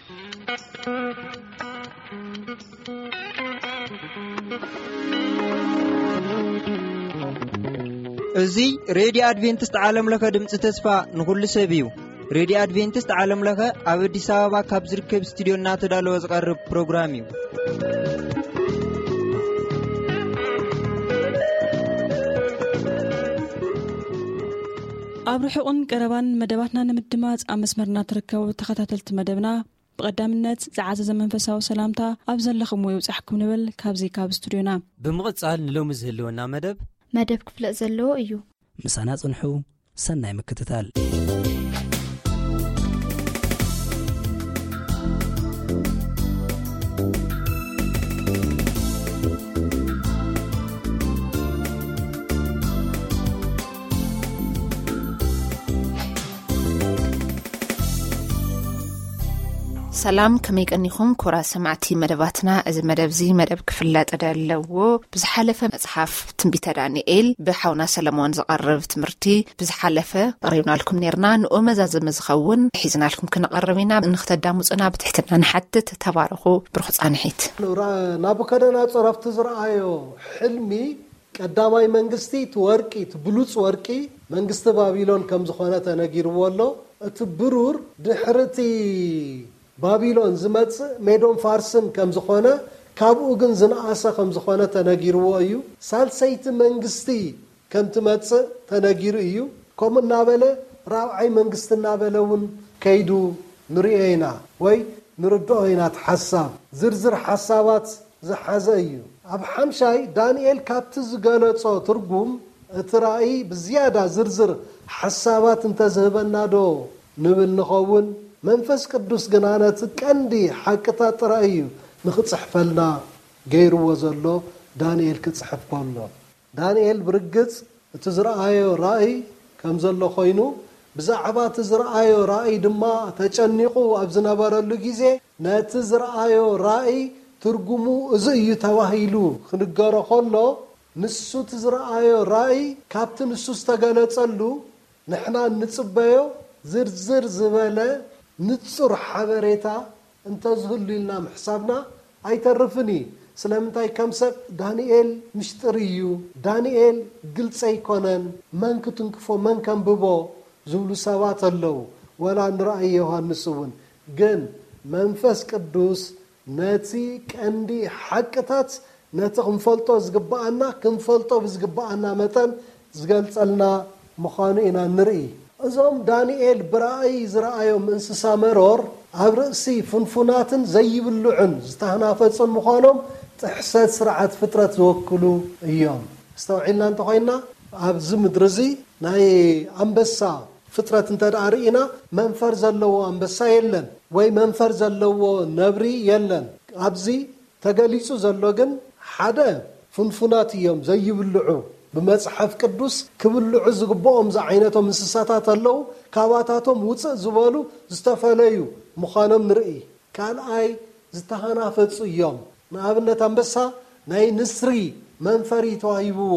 እዚ ሬድዮ ኣድቬንቲስት ዓለም ለኸ ድምፂ ተስፋ ንኹሉ ሰብ እዩ። ሬድዮ ኣድቬንቲስት ዓለም ለኸ ኣብ ኣዲስ ኣበባ ካብ ዝርከብ ስቱዲዮ እናተዳለወ ዝቐርብ ፕሮግራም እዩ። ኣብ ርሑቕን ቀረባን መደባትና ንምድማፅ ኣብ መስመርና ትርከቡ ተኸታተልቲ መደብና፣ ብቐዳምነት ዝዓዘዘ መንፈሳዊ ሰላምታ ኣብ ዘለኹምዎ ይብጻሕኩም ንብል ካብዚ ካብ ስቱድዮና። ብምቕጻል ንሎሚ ዝህልወና መደብ መደብ ክፍለጥ ዘለዎ እዩ። ምሳና ጽንሑ። ሰናይ ምክትታል። ሰላም፣ ከመይ ቀኒኹም ክቡራት ሰማዕቲ መደባትና? እዚ መደብ እዚ መደብ ክፍለጥ ዘለዎ ብዝሓለፈ መጽሓፍ ትንቢተ ዳንኤል ብሓውና ሰለሞን ዝቐርብ ትምህርቲ ብዝሓለፈ ኣቕሪብናልኩም ኔርና። ንኡ መዛዘሚ ዝኸውን ሒዝናልኩም ክንቐርብ ኢና። ንኽተዳምጹና ብትሕትና ንሓትት። ተባረኹ። ብሩኽ ጻንሒት። ናቡከደነጾር ኣብቲ ዝረኣዮ ሕልሚ ቀዳማይ መንግስቲ እቲ ወርቂ፣ እቲ ብሉጽ ወርቂ መንግስቲ ባቢሎን ከም ዝኾነ ተነጊርዎ ኣሎ። እቲ ብሩር ድሕሪ እቲ ባቢሎን ዝመጽእ ሜዶን ፋርስን ከም ዝኾነ፣ ካብኡ ግን ዝነኣሰ ከም ዝኾነ ተነጊርዎ እዩ። ሳልሰይቲ መንግስቲ ከም ትመጽእ ተነጊሩ እዩ። ከምኡ እናበለ ራብዓይ መንግስቲ እናበለ እውን ከይዱ ንርእዮ ኢና ወይ ንርድኦ ኢና። እቲ ሓሳብ ዝርዝር ሓሳባት ዝሓዘ እዩ። ኣብ ሓምሻይ ዳንኤል ካብቲ ዝገለጾ ትርጉም እቲ ራእይ ብዝያዳ ዝርዝር ሓሳባት እንተዝህበና ዶ ንብል ንኸውን? መንፈስ ቅዱስ ግና ነቲ ቀንዲ ሓቅታት ጥራይ እዩ ንኽጽሕፈልና ገይርዎ ዘሎ። ዳንኤል ክጽሕፍ ከሎ ዳንኤል ብርግጽ እቲ ዝረኣዮ ራእይ ከም ዘሎ ኮይኑ፣ ብዛዕባ እቲ ዝረኣዮ ራእይ ድማ ተጨኒቑ ኣብ ዝነበረሉ ግዜ፣ ነቲ ዝረኣዮ ራእይ ትርጉሙ እዚ እዩ ተባሂሉ ክንገሮ ከሎ፣ ንሱ እቲ ዝረኣዮ ራእይ ካብቲ ንሱ ዝተገለጸሉ ንሕና እንጽበዮ ዝርዝር ዝበለ ንጹር ሓበሬታ እንተዝህሉ ኢልና ምሕሳብና ኣይተርፍን እዩ። ስለምንታይ? ከም ሰብ ዳንኤል ምሽጥር እዩ። ዳንኤል ግልጺ ኣይኮነን። መን ክትንክፎ፣ መን ከንብቦ ዝብሉ ሰባት ኣለዉ። ወላ ንራእይ ዮሃንስ እውን። ግን መንፈስ ቅዱስ ነቲ ቀንዲ ሓቅታት፣ ነቲ ክንፈልጦ ዝግብኣና፣ ክንፈልጦ ብዝግብኣና መጠን ዝገልጸልና ምዃኑ ኢና ንርኢ። እዞም ዳንኤል ብራእይ ዝረኣዮም እንስሳ መሮር ኣብ ርእሲ ፍንፉናትን ዘይብልዑን ዝተህናፈጹን ምዃኖም ጥሕሰት ስርዓት ፍጥረት ዝወክሉ እዮም። ኣስተውዒልና እንተኾይንና፣ ኣብዚ ምድሪ እዚ ናይ ኣንበሳ ፍጥረት እንተ ደኣ ርኢና፣ መንፈር ዘለዎ ኣንበሳ የለን ወይ መንፈር ዘለዎ ነብሪ የለን። ኣብዚ ተገሊጹ ዘሎ ግን ሓደ ፍንፉናት እዮም ዘይብልዑ። ብመጽሓፍ ቅዱስ ክብልዑ ዝግብኦም ዝዓይነቶም እንስሳታት ኣለዉ። ካባታቶም ውጽእ ዝበሉ ዝተፈለዩ ምዃኖም ንርኢ። ካልኣይ ዝተሃናፈጹ እዮም። ንኣብነት ኣንበሳ ናይ ንስሪ መንፈሪ ተዋሂብዎ።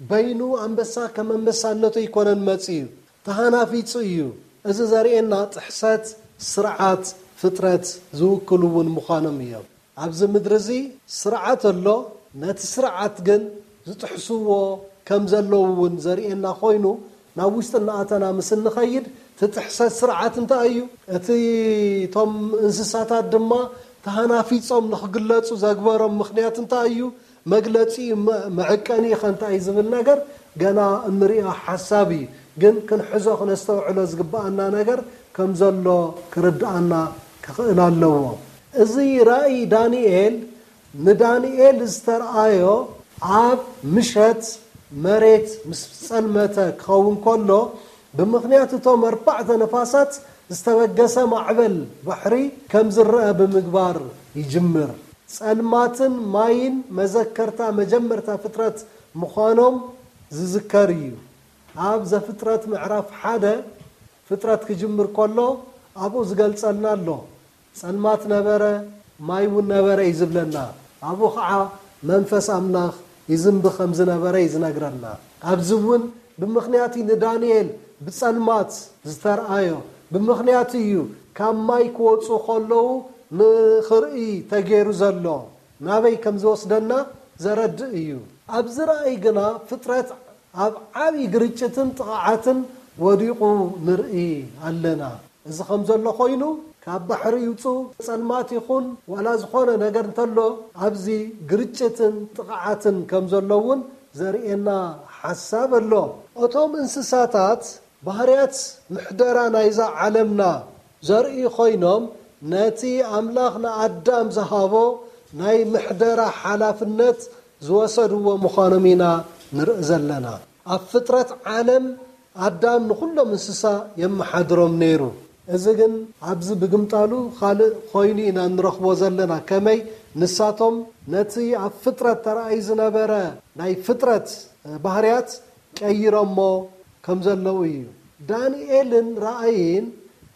በይኑ ኣንበሳ ከም ኣንበሳነቱ ኣይኮነን መጺኡ፣ ተሃናፊጹ እዩ። እዚ ዘርእየና ጥሕሰት ስርዓት ፍጥረት ዝውክሉ እውን ምዃኖም እዮም። ኣብዚ ምድሪ እዚ ስርዓት ኣሎ። ነቲ ስርዓት ግን ዝጥሕስዎ ከም ዘለዉ እውን ዘርእየና ኮይኑ፣ ናብ ውሽጢ እናኣተና ምስ እንኸይድ፣ እቲ ጥሕሰት ስርዓት እንታይ እዩ? እቲ እቶም እንስሳታት ድማ ተሃናፊጾም ንኽግለጹ ዘግበሮም ምኽንያት እንታይ እዩ? መግለጺ መ-፣ መዐቀኒ ኸ እንታይ እዩ ዝብል ነገር ገና እንሪኦ ሓሳብ እዩ። ግን ክንሕዞ ክነስተውዕሎ ዝግብኣና ነገር ከም ዘሎ ክርድኣና ክኽእል ኣለዎ። እዚ ራእይ ዳንኤል ንዳንኤል ዝተርኣዮ ኣብ ምሸት መሬት ምስ ጸልመተ ክኸውን ከሎ፣ ብምኽንያት እቶም ኣርባዕተ ነፋሳት ዝተበገሰ ማዕበል ባሕሪ ከም ዝረአ ብምግባር ይጅምር። ጸልማትን ማይን መዘከርታ መጀመርታ ፍጥረት ምዃኖም ዝዝከር እዩ። ኣብ ዘፍጥረት ምዕራፍ ሓደ ፍጥረት ክጅምር ከሎ ኣብኡ ዝገልጸልና ኣሎ። ጸልማት ነበረ፣ ማይ እውን ነበረ እዩ ዝብለና። ኣብኡ ኸዓ መንፈስ ኣምላኽ ይዝንቢ ከም ዝነበረ እዩ ዝነግረና። ኣብዚ እውን ብምኽንያት እዩ ንዳንኤል ብጸልማት ዝተርኣዮ። ብምኽንያት እዩ ካብ ማይ ክወፁ ከለዉ ንኽርኢ ተገይሩ ዘሎ ናበይ ከም ዝወስደና ዘረድእ እዩ። ኣብዚ ራእይ ግና ፍጥረት ኣብ ዓብዪ ግርጭትን ጥቕዓትን ወዲቑ ንርኢ ኣለና። እዚ ከም ዘሎ ኮይኑ ካብ ባሕሪ ይውፁ ጸልማት ይኹን ዋላ ዝኾነ ነገር እንተሎ ኣብዚ ግርጭትን ጥቕዓትን ከም ዘሎ እውን ዘርእየና ሓሳብ ኣሎ። እቶም እንስሳታት ባህርያት ምሕደራ ናይዛ ዓለምና ዘርእዩ ኮይኖም ነቲ ኣምላኽ ንኣዳም ዝሃቦ ናይ ምሕደራ ሓላፍነት ዝወሰድዎ ምዃኖም ኢና ንርኢ ዘለና። ኣብ ፍጥረት ዓለም ኣዳም ንኹሎም እንስሳ የመሓድሮም ነይሩ። እዚ ግን ኣብዚ ብግምጣሉ ካልእ ኮይኑ ኢና ንረኽቦ ዘለና። ከመይ ንሳቶም ነቲ ኣብ ፍጥረት ተራእዩ ዝነበረ ናይ ፍጥረት ባህርያት ቀይሮሞ ከም ዘለዉ እዩ። ዳንኤልን ራእይን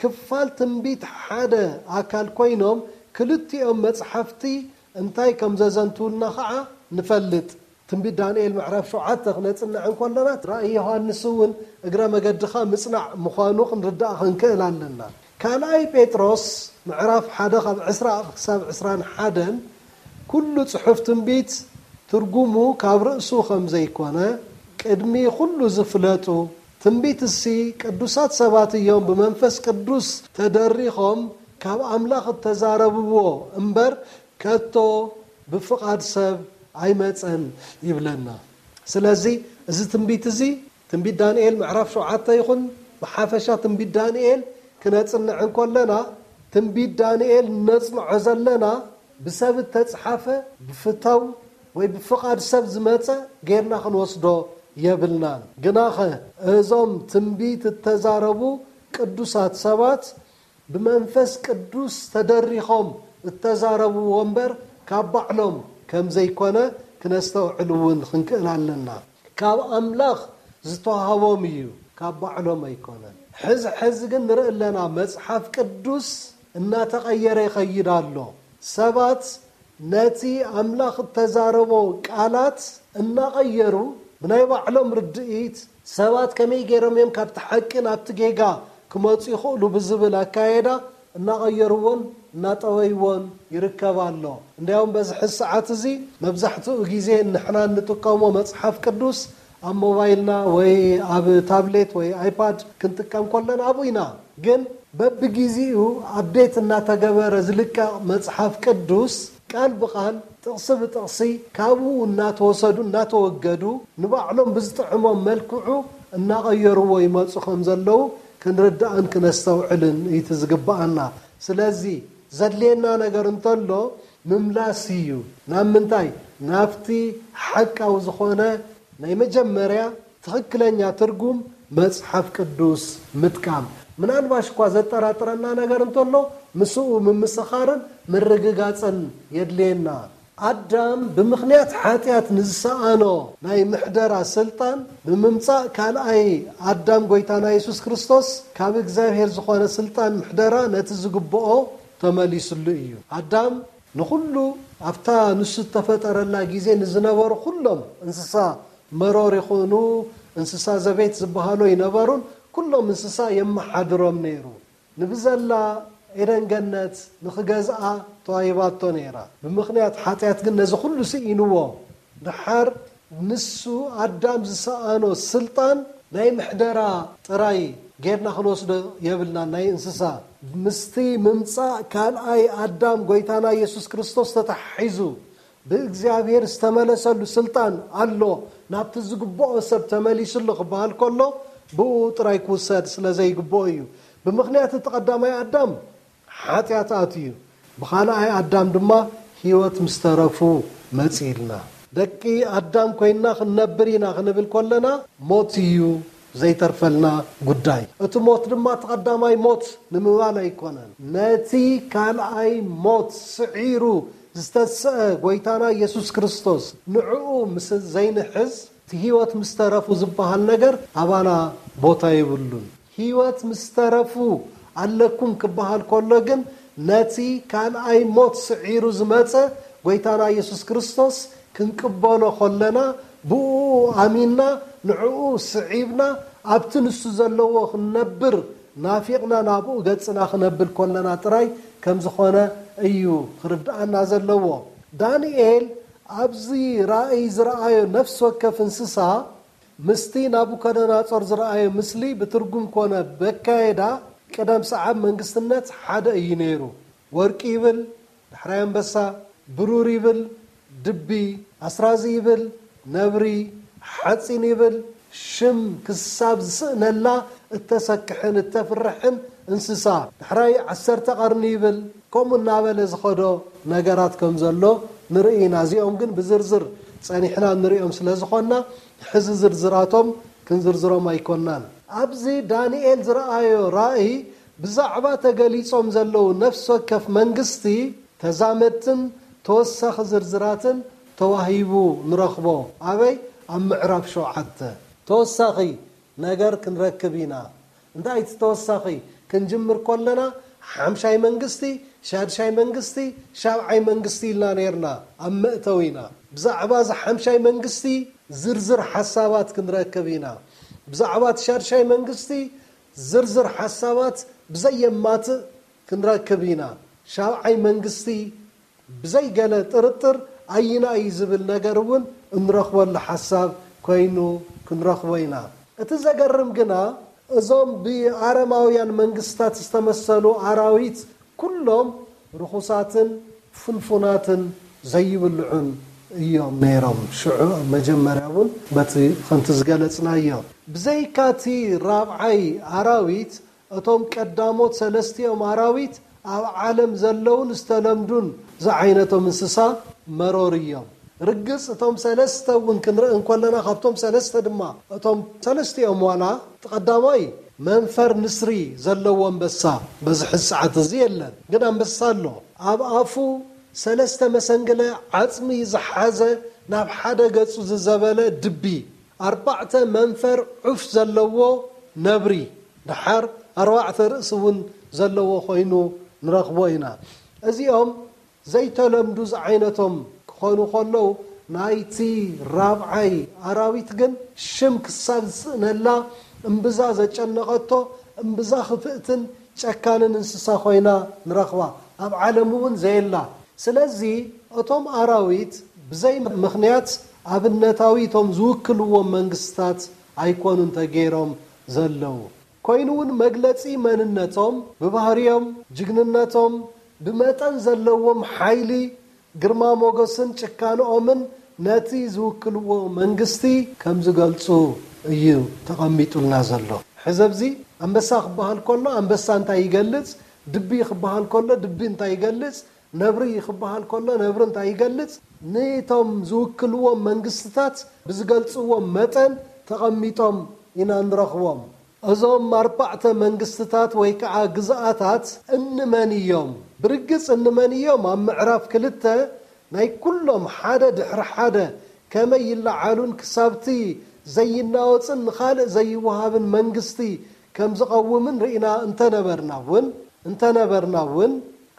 ክፋል ትንቢት ሓደ ኣካል ኮይኖም ክልቲኦም መጽሓፍቲ እንታይ ከም ዘዘንትውና ኸዓ ንፈልጥ። ትንቢት ዳንኤል ምዕራፍ ሸውዓተ ክነጽንዕ እንከለና ራእይ ዮሃንስ እውን እግረ መገድኻ ምጽናዕ ምዃኑ ክንርዳእ ክንክእል ኣለና። ካልኣይ ጴጥሮስ ምዕራፍ ሓደ ካብ ዕስራ ክሳብ ዕስራን ሓደን ኩሉ ጽሑፍ ትንቢት ትርጉሙ ካብ ርእሱ ከም ዘይኮነ ቅድሚ ኩሉ ዝፍለጡ ትንቢት እሲ ቅዱሳት ሰባት እዮም ብመንፈስ ቅዱስ ተደሪኾም ካብ ኣምላኽ እተዛረብዎ እምበር ከቶ ብፍቓድ ሰብ ኣይመጸን ይብለና። ስለዚ እዚ ትንቢት እዚ ትንቢት ዳንኤል ምዕራፍ ሸውዓተ ይኹን ብሓፈሻ ትንቢት ዳንኤል ክነጽንዕ እንከለና ትንቢት ዳንኤል ነጽንዖ ዘለና ብሰብ እተጽሓፈ ብፍተው ወይ ብፍቓድ ሰብ ዝመጸ ጌርና ክንወስዶ የብልናን። ግናኸ እዞም ትንቢት እተዛረቡ ቅዱሳት ሰባት ብመንፈስ ቅዱስ ተደሪኾም እተዛረብዎ እምበር ካብ ባዕሎም ከም ዘይኮነ ክነስተውዕል እውን ክንክእል ኣለና። ካብ ኣምላኽ ዝተዋህቦም እዩ፣ ካብ ባዕሎም ኣይኮነን። ሕዚ ሕዚ ግን ንርኢ ኣለና መጽሓፍ ቅዱስ እናተቐየረ ይኸይድ ኣሎ። ሰባት ነቲ ኣምላኽ እተዛረቦ ቃላት እናቐየሩ ብናይ ባዕሎም ርድኢት ሰባት ከመይ ገይሮም እዮም ካብቲ ሓቂ ናብቲ ጌጋ ክመፁ ይኽእሉ ብዝብል ኣካየዳ እናቐየርዎን እናጠወይዎን ይርከብ ኣሎ። እንዲያውም በዚ ሕዚ ሰዓት እዚ መብዛሕትኡ ግዜ ንሕና እንጥቀሞ መፅሓፍ ቅዱስ ኣብ ሞባይልና ወይ ኣብ ታብሌት ወይ ኣይፓድ ክንጥቀም ከለና ኣብኡ ኢና። ግን በብግዜኡ ኣፕዴት እናተገበረ ዝልቀቕ መፅሓፍ ቅዱስ ቃል ብቃል ጥቕሲ ብጥቕሲ ካብኡ እናተወሰዱ እናተወገዱ ንባዕሎም ብዝጥዕሞም መልክዑ እናቐየርዎ ይመፁ ከም ዘለዉ ክንርዳእን ክነስተውዕልን እዩ ዝግባኣና። ስለዚ ዘድልየና ነገር እንተሎ ምምላስ እዩ። ናብ ምንታይ? ናብቲ ሓቃዊ ዝኾነ ናይ መጀመርያ ትኽክለኛ ትርጉም መጽሓፍ ቅዱስ ምጥቃም። ምናልባሽ እኳ ዘጠራጥረና ነገር እንተሎ ምስኡ ምምስኻርን ምርግጋጽን የድልየና። ኣዳም ብምኽንያት ሓጢኣት ንዝሰኣኖ ናይ ምሕደራ ስልጣን ብምምጻእ ካልኣይ ኣዳም ጎይታና የሱስ ክርስቶስ ካብ እግዚኣብሔር ዝኾነ ስልጣን ምሕደራ ነቲ ዝግብኦ ተመሊስሉ እዩ። ኣዳም ንኹሉ ኣብታ ንሱ እተፈጠረላ ግዜ ንዝነበሩ ኩሎም እንስሳ መሮር ይኹኑ እንስሳ ዘቤት ዝበሃሉ ኣይነበሩን። ኩሎም እንስሳ የመሓድሮም ነይሩ። ንብዘላ ኤደን ገነት ንኽገዝኣ ተዋሂባቶ ነይራ። ብምኽንያት ሓጢኣት ግን ነዚ ኩሉ ስኢንዎ። ደሓር ንሱ ኣዳም ዝሰኣኖ ስልጣን ናይ ምሕደራ ጥራይ ጌርና ክንወስዶ የብልናን። ናይ እንስሳ ምስቲ ምምጻእ ካልኣይ ኣዳም ጎይታና የሱስ ክርስቶስ ተታሒዙ ብእግዚኣብሔር ዝተመለሰሉ ስልጣን ኣሎ። ናብቲ ዝግብኦ ሰብ ተመሊሱ ኣሎ ክበሃል ከሎ ብኡ ጥራይ ክውሰድ ስለ ዘይግብኦ እዩ። ብምኽንያት እቲ ቀዳማይ ኣዳም ሓጢኣት ኣትዩ፣ ብኻልኣይ ኣዳም ድማ ህይወት ምስ ተረፉ መጺእልና። ደቂ ኣዳም ኮይንና ክንነብር ኢና ክንብል ከለና ሞት እዩ ዘይተርፈልና ጉዳይ። እቲ ሞት ድማ እቲ ቀዳማይ ሞት ንምባል ኣይኮነን። ነቲ ካልኣይ ሞት ስዒሩ ዝተስአ ጎይታና ኢየሱስ ክርስቶስ ንዕኡ ምስ ዘይንሕዝ፣ እቲ ህይወት ምስ ተረፉ ዝበሃል ነገር ኣባና ቦታ የብሉን። ህይወት ምስ ተረፉ ኣለኩም ክበሃል ከሎ ግን ነቲ ካልኣይ ሞት ስዒሩ ዝመጸ ጎይታና ኢየሱስ ክርስቶስ ክንቅበሎ ከለና ብኡ ኣሚንና ንዕኡ ስዒብና ኣብቲ ንሱ ዘለዎ ክንነብር ናፊቕና ናብኡ ገጽና ክነብል ከለና ጥራይ ከም ዝኾነ እዩ ክርድኣና ዘለዎ። ዳንኤል ኣብዚ ራእይ ዝረኣዮ ነፍሲ ወከፍ እንስሳ ምስቲ ናቡከደነጾር ዝረኣዮ ምስሊ ብትርጉም ኮነ በካየዳ ቅደም ሰዓብ መንግስትነት ሓደ እዩ ነይሩ። ወርቂ ይብል፣ ዳሕራይ ኣንበሳ፣ ብሩር ይብል፣ ድቢ፣ ኣስራዚ ይብል፣ ነብሪ፣ ሓፂን ይብል፣ ሽም ክሳብ ዝስእነላ እተሰክሕን እተፍርሕን እንስሳ፣ ዳሕራይ ዓሰርተ ቀርኒ ይብል፣ ከምኡ እናበለ ዝኸዶ ነገራት ከም ዘሎ ንርኢ ኢና። እዚኦም ግን ብዝርዝር ፀኒሕና ንሪኦም ስለ ዝኾንና፣ ሕዚ ዝርዝራቶም ክንዝርዝሮም ኣይኮናን። ኣብዚ ዳንኤል ዝረኣዮ ራእይ ብዛዕባ ተገሊጾም ዘለዉ ነፍሲ ወከፍ መንግስቲ ተዛመድትን ተወሳኺ ዝርዝራትን ተዋሂቡ ንረኽቦ። ኣበይ? ኣብ ምዕራፍ ሸውዓተ። ተወሳኺ ነገር ክንረክብ ኢና። እንታይ እቲ ተወሳኺ? ክንጅምር ከለና ሓምሻይ መንግስቲ፣ ሻድሻይ መንግስቲ፣ ሻብዓይ መንግስቲ ኢልና ነይርና ኣብ መእተዊና። ብዛዕባ እዚ ሓምሻይ መንግስቲ ዝርዝር ሓሳባት ክንረክብ ኢና። ብዛዕባ እቲ ሻድሻይ መንግስቲ ዝርዝር ሓሳባት ብዘየማትእ ክንረክብ ኢና። ሻብዓይ መንግስቲ ብዘይገለ ጥርጥር ኣይና እዩ ዝብል ነገር እውን እንረኽበሉ ሓሳብ ኮይኑ ክንረኽቦ ኢና። እቲ ዘገርም ግና እዞም ብኣረማውያን መንግስታት ዝተመሰሉ ኣራዊት ኩሎም ርኹሳትን ፍንፉናትን ዘይብልዑን እዮም ነይሮም። ሽዑ መጀመርያ እውን በቲ ከምቲ ዝገለጽናዮ። ብዘይካቲ ራብዓይ ኣራዊት እቶም ቀዳሞት ሰለስቲኦም ኣራዊት ኣብ ዓለም ዘለውን ዝተለምዱን ዝዓይነቶም እንስሳ መሮር እዮም። ርግጽ እቶም ሰለስተ እውን ክንርኢ እንከለና ካብቶም ሰለስተ ድማ እቶም ሰለስቲኦም ዋላ እቲ ቀዳማይ መንፈር ንስሪ ዘለዎ ኣንበሳ በዚ ሕዚ ሰዓት እዚ የለን፣ ግን ኣንበሳ ኣሎ። ኣብ ኣፉ ሰለስተ መሰንግለ ዓጽሚ ዝሓዘ ናብ ሓደ ገጹ ዝዘበለ ድቢ፣ ኣርባዕተ መንፈር ዑፍ ዘለዎ ነብሪ፣ ደሓር ኣርባዕተ ርእሲ እውን ዘለዎ ኮይኑ ንረኽቦ ኢና። እዚኦም ዘይተለምዱ ዝዓይነቶም ክኾኑ ከለዉ፣ ናይቲ ራብዓይ ኣራዊት ግን ሽም ክሳብ ዝስእነላ እምብዛ ዘጨነቐቶ፣ እምብዛ ክፍእትን ጨካንን እንስሳ ኮይና ንረኽባ። ኣብ ዓለም እውን ዘየላ። ስለዚ እቶም ኣራዊት ብዘይ ምኽንያት ኣብነታዊ እቶም ዝውክልዎም መንግስታት ኣይኮኑን ተገይሮም ዘለዉ። ኮይኑ እውን መግለጺ መንነቶም፣ ብባህርዮም፣ ጅግንነቶም፣ ብመጠን ዘለዎም ሓይሊ፣ ግርማ ሞገስን ጭካንኦምን ነቲ ዝውክልዎ መንግስቲ ከም ዝገልጹ እዩ ተቐሚጡልና ዘሎ። ሕዚ ኣብዚ ኣንበሳ ክበሃል ከሎ ኣንበሳ እንታይ ይገልጽ? ድቢ ክበሃል ከሎ ድቢ እንታይ ይገልጽ? ነብሪ ክበሃል ከሎ ነብሪ እንታይ ይገልጽ? ንቶም ዝውክልዎም መንግስትታት ብዝገልጽዎም መጠን ተቐሚጦም ኢና ንረኽቦም። እዞም ኣርባዕተ መንግስትታት ወይ ከዓ ግዝኣታት እንመን እዮም? ብርግጽ እንመን እዮም? ኣብ ምዕራፍ ክልተ ናይ ኩሎም ሓደ ድሕሪ ሓደ ከመይ ይለዓሉን ክሳብቲ ዘይናወጽን ንኻልእ ዘይወሃብን መንግስቲ ከም ዝቐውምን ርኢና እንተነበርና እውን፣ እንተነበርና እውን፣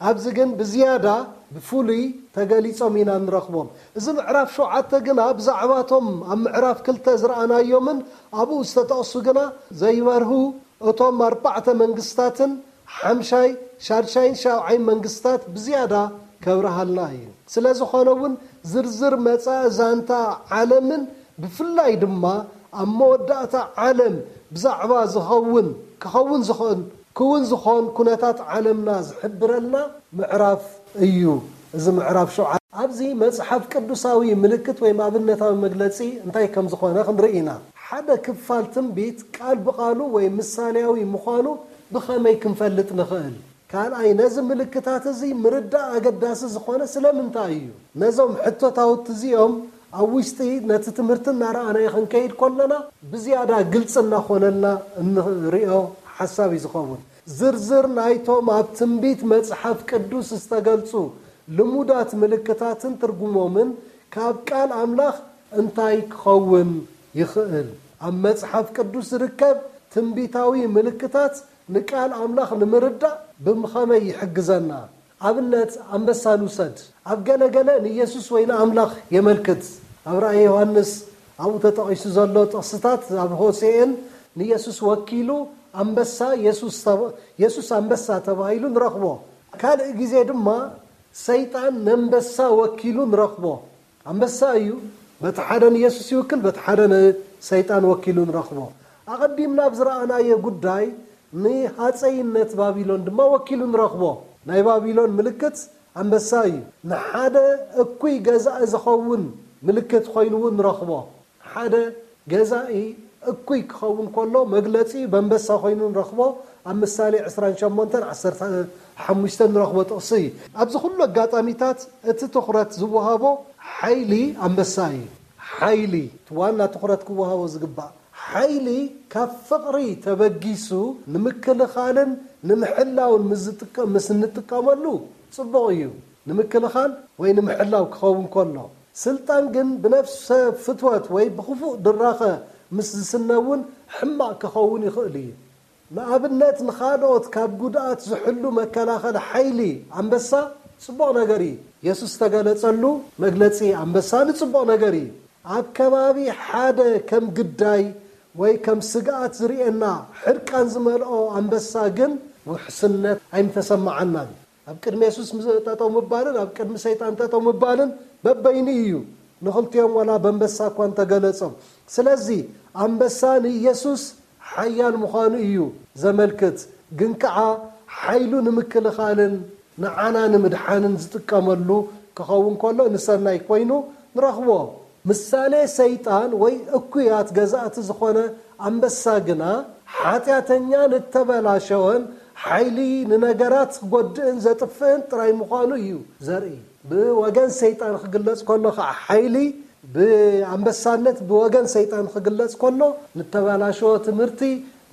ኣብዚ ግን ብዝያዳ ብፍሉይ ተገሊጾም ኢና ንረኽቦም። እዚ ምዕራፍ ሸውዓተ ግና ብዛዕባቶም ኣብ ምዕራፍ ክልተ ዝረኣናዮምን ኣብኡ ዝተጠቕሱ ግና ዘይበርሁ እቶም ኣርባዕተ መንግስታትን ሓምሻይ፣ ሻድሻይን ሻብዓይን መንግስታት ብዝያዳ ከብርሃልና እዩ። ስለ ዝኾነ እውን ዝርዝር መጻኢ ዛንታ ዓለምን ብፍላይ ድማ ኣብ መወዳእታ ዓለም ብዛዕባ ዝኸውን፣ ክኸውን ዝኽእል፣ ክውን ዝኾን ኩነታት ዓለምና ዝሕብረልና ምዕራፍ እዩ። እዚ ምዕራፍ ሸውዓተ ኣብዚ መጽሓፍ ቅዱሳዊ ምልክት ወይ ኣብነታዊ መግለጺ እንታይ ከም ዝኾነ ክንርኢ ኢና። ሓደ ክፋል ትንቢት ቃል ብቓሉ ወይ ምሳሌያዊ ምዃኑ ብኸመይ ክንፈልጥ ንኽእል? ካልኣይ፣ ነዚ ምልክታት እዚ ምርዳእ ኣገዳሲ ዝኾነ ስለምንታይ እዩ? ነዞም ሕቶታውቲ እዚኦም ኣብ ውሽጢ ነቲ ትምህርቲ እናረኣናዮ ክንከይድ ከለና ብዝያዳ ግልጺ እናኾነልና እንሪኦ ሓሳብ እዩ ዝኸውን። ዝርዝር ናይቶም ኣብ ትንቢት መጽሓፍ ቅዱስ ዝተገልጹ ልሙዳት ምልክታትን ትርጉሞምን ካብ ቃል ኣምላኽ እንታይ ክኸውን ይኽእል? ኣብ መጽሓፍ ቅዱስ ዝርከብ ትንቢታዊ ምልክታት ንቃል ኣምላኽ ንምርዳእ ብምኸመይ ይሕግዘና? ኣብነት ኣንበሳ ንውሰድ። ኣብ ገለ ገለ ንየሱስ ወይ ንኣምላኽ የመልክት። ኣብ ራእየ ዮሃንስ ኣብኡ ተጠቒሱ ዘሎ ጥቕስታት ኣብ ሆሴእን ንየሱስ ወኪሉ ኣንበሳ የሱስ ተባ- የሱስ ኣንበሳ ተባሂሉ ንረኽቦ። ካልእ ግዜ ድማ ሰይጣን ነንበሳ ወኪሉ ንረኽቦ። ኣንበሳ እዩ፣ በቲ ሓደ ንየሱስ ይውክል፣ በቲ ሓደ ንሰይጣን ወኪሉ ንረኽቦ። ኣቐዲምና ኣብ ዝረኣናዮ ጉዳይ ንሃፀይነት ባቢሎን ድማ ወኪሉ ንረኽቦ። ናይ ባቢሎን ምልክት ኣንበሳ እዩ። ንሓደ እኩይ ገዛኢ ዝኸውን ምልክት ኮይኑ እውን ንረኽቦ። ሓደ ገዛኢ እኩይ ክኸውን ከሎ መግለጺ በንበሳ ኮይኑ ንረኽቦ። ኣብ ምሳሌ ዕስራን ሸሞንተን ዓሰርተ ሓሙሽተን ንረኽቦ ጥቕሲ እዩ። ኣብዚ ኩሉ ኣጋጣሚታት እቲ ትኹረት ዝወሃቦ ሓይሊ ኣንበሳ እዩ። ሓይሊ እቲ ዋና ትኹረት ክወሃቦ ዝግባእ ሓይሊ ካብ ፍቕሪ ተበጊሱ ንምክልኻልን ንምሕላውን ምስ ዝጥቀ- ምስ እንጥቀመሉ ጽቡቕ እዩ። ንምክልኻል ወይ ንምሕላው ክኸውን ከሎ፣ ስልጣን ግን ብነፍሰ ፍትወት ወይ ብኽፉእ ድራኸ ምስ ዝስነ እውን ሕማቕ ክኸውን ይኽእል እዩ። ንኣብነት፣ ንኻልኦት ካብ ጉድኣት ዝሕሉ መከላኸሊ ሓይሊ ኣንበሳ ጽቡቕ ነገር እዩ። የሱስ ዝተገለጸሉ መግለጺ ኣንበሳ ንጽቡቕ ነገር እዩ። ኣብ ከባቢ ሓደ ከም ግዳይ ወይ ከም ስግኣት ዝርእየና ሕርቃን ዝመልኦ ኣንበሳ ግን ውሕስነት ኣይምተሰምዓናን። ኣብ ቅድሚ የሱስ ምስ ጠጠው ምባልን ኣብ ቅድሚ ሰይጣን ጠጠው ምባልን በበይኑ እዩ። ንኽልቲኦም ዋላ በንበሳ እኳ እንተገለጾም። ስለዚ ኣንበሳ ንኢየሱስ ሓያል ምዃኑ እዩ ዘመልክት፣ ግን ከኣ ሓይሉ ንምክልኻልን ንዓና ንምድሓንን ዝጥቀመሉ ክኸውን ከሎ ንሰናይ ኮይኑ ንረኽቦ። ምሳሌ ሰይጣን ወይ እኩያት ገዛእቲ ዝኾነ ኣንበሳ ግና ሓጢኣተኛን እተበላሸወን ሓይሊ ንነገራት ክጎድእን ዘጥፍእን ጥራይ ምዃኑ እዩ ዘርኢ። ብወገን ሰይጣን ክግለጽ ከሎ ከዓ ሓይሊ ብኣንበሳነት ብወገን ሰይጣን ክግለጽ ከሎ ንተበላሸወ ትምህርቲ፣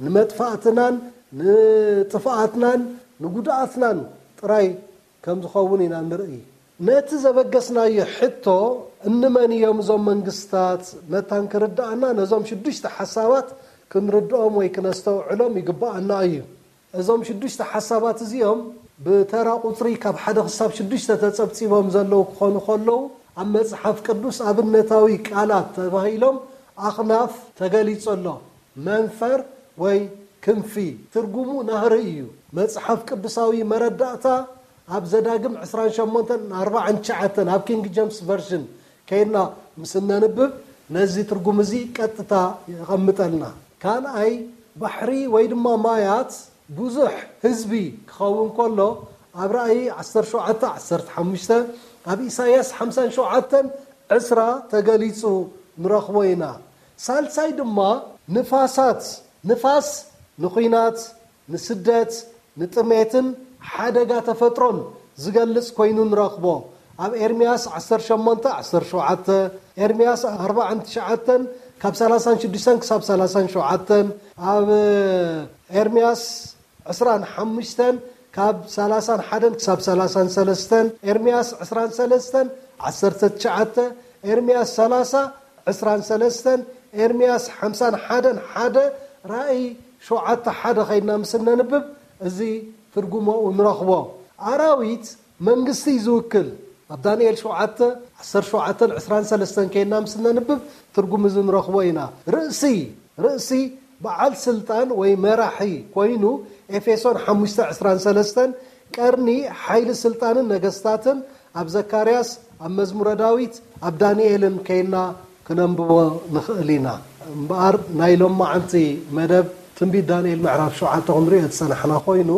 ንመጥፋእትናን ንጥፍኣትናን ንጉድኣትናን ጥራይ ከም ዝኸውን ኢና ንርኢ። ነቲ ዘበገስናዮ ሕቶ፣ እንመን እዮም እዞም መንግስታት? መታን ክርድኣና ነዞም ሽዱሽተ ሓሳባት ክንርድኦም ወይ ክነስተውዕሎም ይግብኣና እዩ። እዞም ሽዱሽተ ሓሳባት እዚኦም ብተራ ቁጽሪ ካብ ሓደ ክሳብ ሽዱሽተ ተጸብጺቦም ዘለዉ ክኾኑ ከለዉ፣ ኣብ መጽሓፍ ቅዱስ ኣብነታዊ ቃላት ተባሂሎም ኣኽናፍ ተገሊጹ ኣሎ። መንፈር ወይ ክንፊ ትርጉሙ ናህሪ እዩ። መጽሓፍ ቅዱሳዊ መረዳእታ ኣብ ዘዳግም ዕስራን ሸሞንተን ኣርባዓን ትሽዓተን ኣብ ኪንግ ጀምስ ቨርዥን ከይድና ምስ እነንብብ ነዚ ትርጉም እዚ ቀጥታ የቐምጠልና። ካልኣይ፣ ባሕሪ ወይ ድማ ማያት ብዙሕ ህዝቢ ክኸውን ከሎ ኣብ ራእይ ዓሰርተ ሸውዓተ ዓሰርተ ሓሙሽተ፣ ኣብ ኢሳያስ ሓምሳን ሸውዓተን ዕስራ ተገሊጹ ንረኽቦ ኢና። ሳልሳይ ድማ ንፋሳት፣ ንፋስ ንኹናት፣ ንስደት፣ ንጥሜትን ሓደጋ ተፈጥሮን ዝገልጽ ኮይኑ ንረኽቦ። ኣብ ኤርምያስ ዓሰርተ ሸሞንተ ዓሰርተ ሸውዓተ፣ ኤርምያስ ኣርባዓን ትሽዓተን ካብ ሰላሳን ሽዱሽተን ክሳብ ሰላሳን ሸውዓተን፣ ኣብ ኤርምያስ ዕስራን ሓሙሽተን ካብ ሰላሳን ሓደን ክሳብ ሰላሳን ሰለስተን፣ ኤርምያስ ዕስራን ሰለስተን ዓሰርተ ትሽዓተ፣ ኤርምያስ ሰላሳ ዕስራን ሰለስተን፣ ኤርምያስ ሓምሳን ሓደን ሓደ፣ ራእይ ሸውዓተ ሓደ ኸይድና ምስ እነንብብ እዚ ትርጉሞኡ ንረኽቦ። ኣራዊት መንግስቲ እዩ ዝውክል። ኣብ ዳንኤል ሸውዓተ ዓሰርተ ሸውዓተን ዕስራን ሰለስተን ከይድና ምስ እነንብብ ትርጉም እዚ ንረኽቦ ኢና። ርእሲ፣ ርእሲ በዓል ስልጣን ወይ መራሒ ኮይኑ ኤፌሶን ሓሙሽተ ዕስራን ሰለስተን፣ ቀርኒ ሓይሊ ስልጣንን ነገስታትን ኣብ ዘካርያስ፣ ኣብ መዝሙረ ዳዊት፣ ኣብ ዳንኤልን ከይድና ክነንብቦ ንኽእል ኢና። እምበኣር ናይ ሎማዓንቲ መደብ ትንቢት ዳንኤል ምዕራፍ ሸውዓተ ክንሪኦ ዝጸናሕና ኮይኑ፣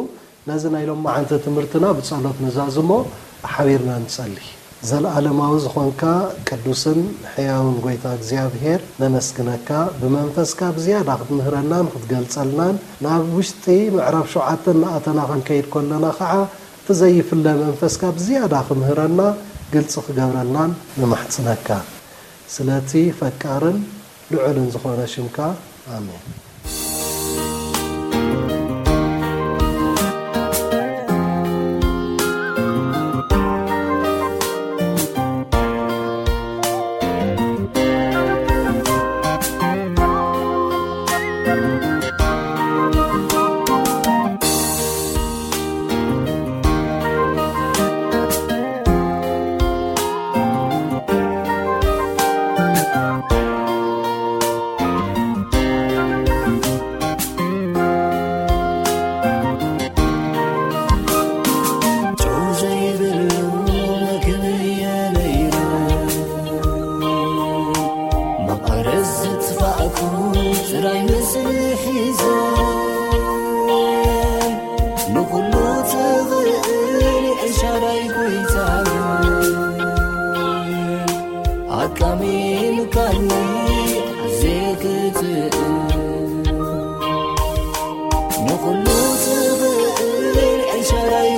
ነዚ ናይ ሎማዓንቲ ትምህርትና ብጸሎት ንዛዝሞ። ሓቢርና ንጸሊ። ዘለኣለማዊ ዝኾንካ ቅዱስን ሕያውን ጎይታ እግዚኣብሔር ነመስግነካ። ብመንፈስካ ብዝያዳ ክትምህረናን ክትገልጸልናን፣ ናብ ውሽጢ ምዕራፍ ሸውዓተ እናኣተና ክንከይድ ከለና ኸዓ እቲ ዘይፍለ መንፈስካ ብዝያዳ ክምህረና፣ ግልጺ ክገብረልናን ንማሕጽነካ። ስለቲ ፈቃርን ልዑልን ዝኾነ ሽምካ፣ ኣሜን።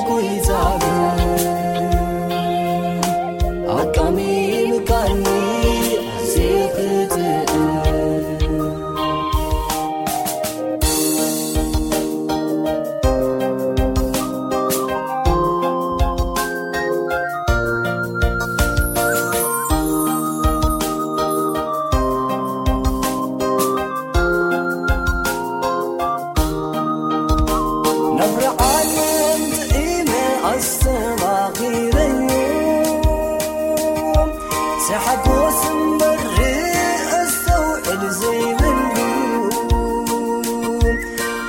ጎይታ ኣቃሚምካኒ ኣዝየ ክጥዕም። ናብራ ዓለም ጥዒመ ኣስተማቒረዮ፣ ሰሓጎስ እምበር ኣስተውዕል ዘይብሉ፣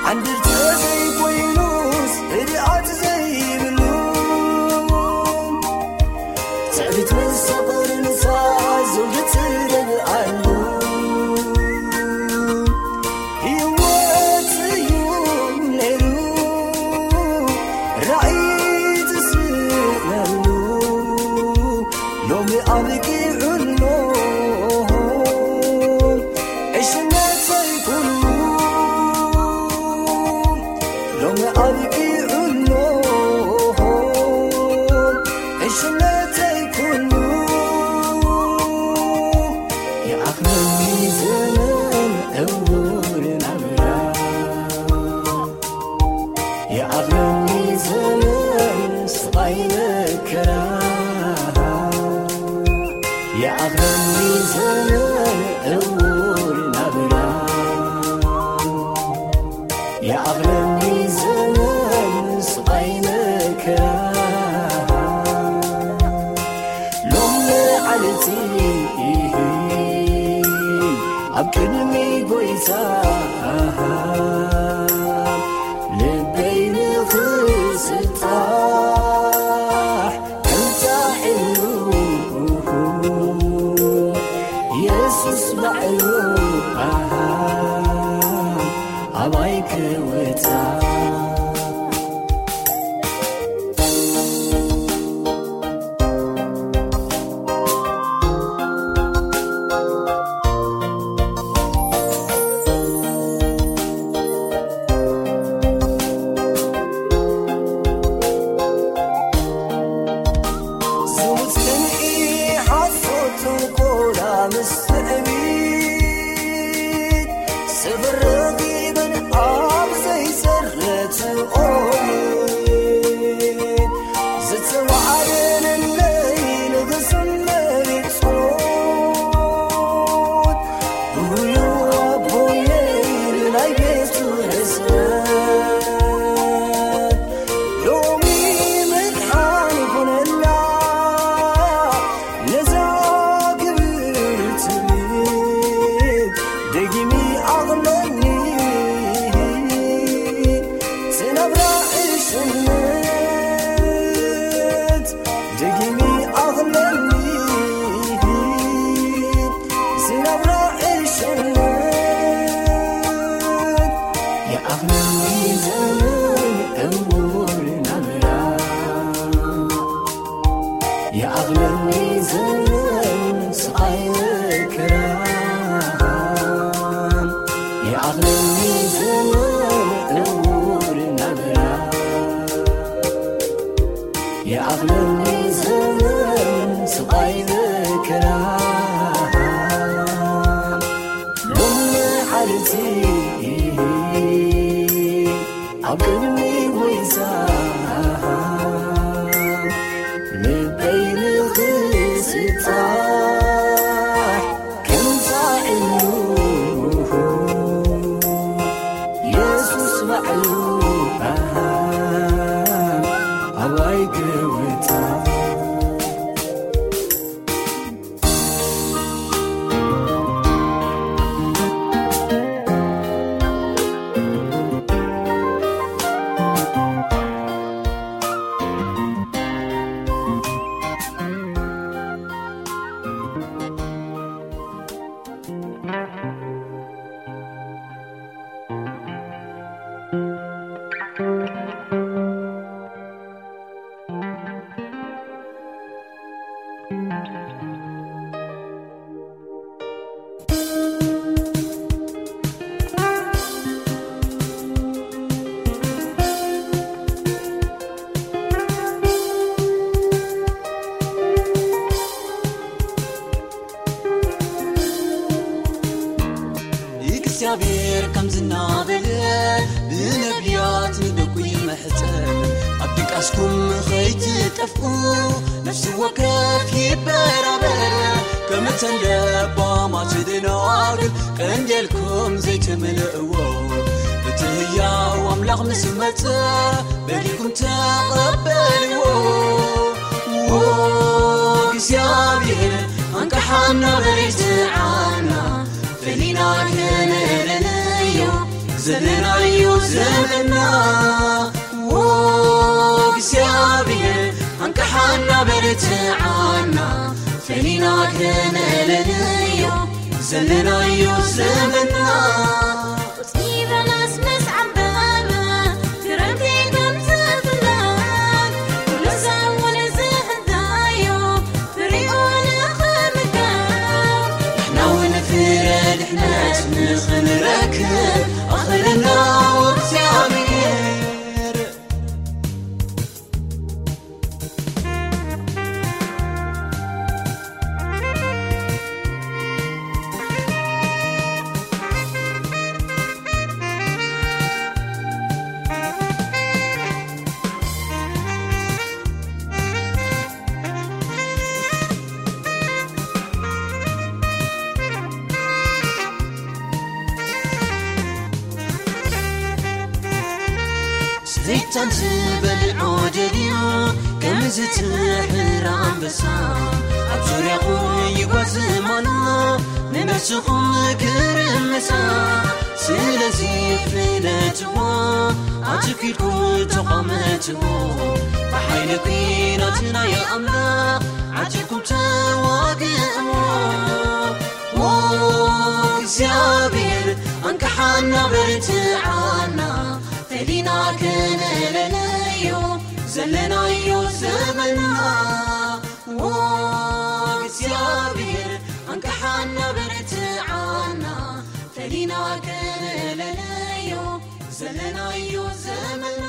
ዓንድርተ ዘይኮይኑስ ህድኣት ዘይብሉ፣ ትዕቢት ምስ ፍቕሪ ንሳ ዘውዲ ትደብኣሉ። ህይወት እዩ ነይሩ ራእይ ትስእነሉ፣ ሎሚ ኣብቂዑ ኣሎ ዕሽነተይ ኩሉ። ሎሚ ኣብቂዑ ኣሎ ዕሽነተይ ኩሉ። ይኣኽለኒ ዘመን ዕዉር ናብራ፣ ይኣኽለኒ ዘመን ስቓይ መከራ፣ ይኣኽለኒ ዘመን ዕዉር ናብራ፣ ይኣኽለኒ ዘመን ስቓይ መከራ። ሎም መዓልቲ ኣብ ቅድሚ ጎይታ ልበይ ንኽስጣሕ እንታዒሉ የሱስ ባዕሉ ኣባይ ክወጻ። ዝሙት ቅንኢ ሓሶት ጥንቆላ ምስ ትዕቢት ስብር ረኺበን ኣብ ዘይሰረት ኦሪት ዝተዋዕደለይ ንግስነት ጸሎት ብህዩ ኣቦየይ ናይ ቤቱ ሕስረት ሎሚ ምድሓን ይኹነላ ነዛ ክብርቲ ቤት ደጊሚ ኣቕለኒ ዝነብራ ዕሽነት ደጊሚ ኣቕለኒ ዝነብራ ዕሽነት ይኣኽለኒ ዘመን ዕዉር ናብራ ይኣኽለኒ ዘመን ስቓይ መከራ ይኣኽለኒ ዘመን ዕዉር ናብራ ይኣኽለኒ ዘመን ስቓይ መከራ ሎም መዓልቲ ኣብ ቅድሚ ጎይታ ልበይ ንኽስጣሕ ከምታ ዕሉ የሱስ ባዕሉ ኣባይ ክውታ እግዚኣብሔር ከም ዝናበለ ብነቢያት ንደቁ ይምሕጸን፣ ኣብ ድቃስኩም ኸይትጠፍኡ ነፍሲ ወከፍ ይበራበር። ከም እተን ለባማት ደናግል ቀንዴልኩም ዘይትምልእዎ፣ እቲ ህያው ኣምላኽ ምስ መጸ በሊኩም ተቐበልዎ። ዎ እግዚኣብሔር ኣንቅሓና በርትዓና፣ ፈሊና ከነለለዮ ዘለናዮ ዘመንና። ዎ እግዚኣብሔር ኣንቅሓና በርትዓና፣ ፈሊና ከነለለዮ ዘለናዮ ዘመንና። ቁጽኒ በለስ ምስ ዓምበበ፣ ክረምቲ ከም ዝፍለግ፣ ኩሉ ሰብ እውን ዝህዳዮ ፍሪኡ ንኽምገብ፣ ንሕና እውን ፍረ ድሕነት ንኽንረክብ ኣኽለና እግዚኣብሔር። ሰይጣን ዝበልዖ ደልዩ ከም ዝትሕር ኣንበሳ፣ ኣብ ዙርያኹም ይጓዝም ኣሎ ንነፍስኹም ክርምሳ። ስለዚ ፍለጥዎ፣ ኣትኪልኩም ተቋመትዎ፣ ብሓይሊ ኲናት ናይ ኣምላኽ ዓቲብኩም ተዋግእዎ። ዎ እግዚኣብሔር ኣንቅሓና በርትዓና፣ ፈሊና ከነለለዮ ዘለናዮ ዘመንና። ዎ እግዚኣብሔር ኣንቅሓና በርትዓና፣ ፈሊና ከነለለዮ ዘለናዮ ዘመንና።